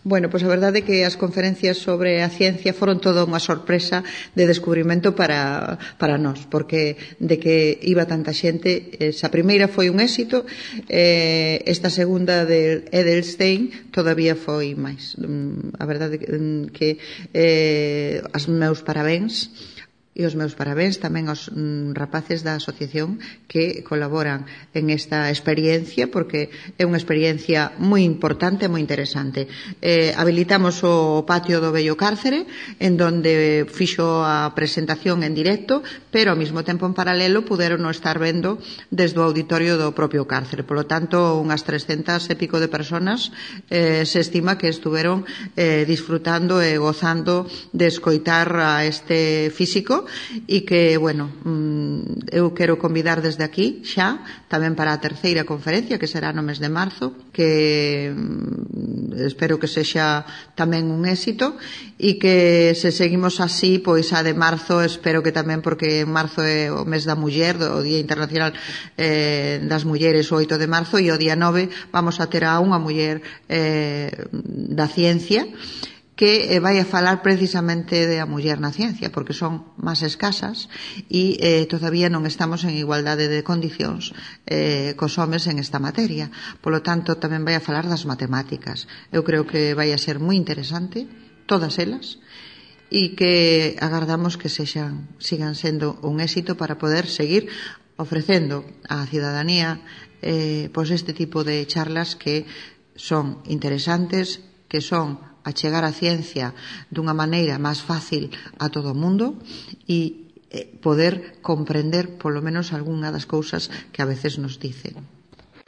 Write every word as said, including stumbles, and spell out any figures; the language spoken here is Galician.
Bueno, pois a verdade é que as conferencias sobre a ciencia foron toda unha sorpresa de descubrimento para, para nós, porque de que iba tanta xente, esa primeira foi un éxito, eh, esta segunda de Edelstein todavía foi máis. A verdade é que eh, as meus parabéns e os meus parabéns tamén aos mm, rapaces da asociación que colaboran en esta experiencia, porque é unha experiencia moi importante e moi interesante. Eh, habilitamos o patio do vello cárcere, en donde fixo a presentación en directo, pero ao mesmo tempo en paralelo puderon estar vendo desde o auditorio do propio cárcere. Por lo tanto, unhas trescentas e pico de personas eh, se estima que estuveron eh, disfrutando e gozando de escoitar a este físico, e que, bueno, eu quero convidar desde aquí xa tamén para a terceira conferencia, que será no mes de marzo, que espero que sexa tamén un éxito, e que se seguimos así, pois a de marzo espero que tamén, porque en marzo é o mes da muller, o Día Internacional eh, das Mulleres, o oito de marzo, e o día nove vamos a ter a unha muller eh, da ciencia, que vai a falar precisamente de a muller na ciencia, porque son máis escasas e eh, todavía non estamos en igualdade de condicións eh, cos homes en esta materia. Por lo tanto, tamén vai a falar das matemáticas. Eu creo que vai a ser moi interesante, todas elas, e que agardamos que sexan, sigan sendo un éxito para poder seguir ofrecendo á cidadanía eh, pois este tipo de charlas que son interesantes, que son a chegar a ciencia dunha maneira máis fácil a todo o mundo e poder comprender polo menos algunha das cousas que a veces nos dicen.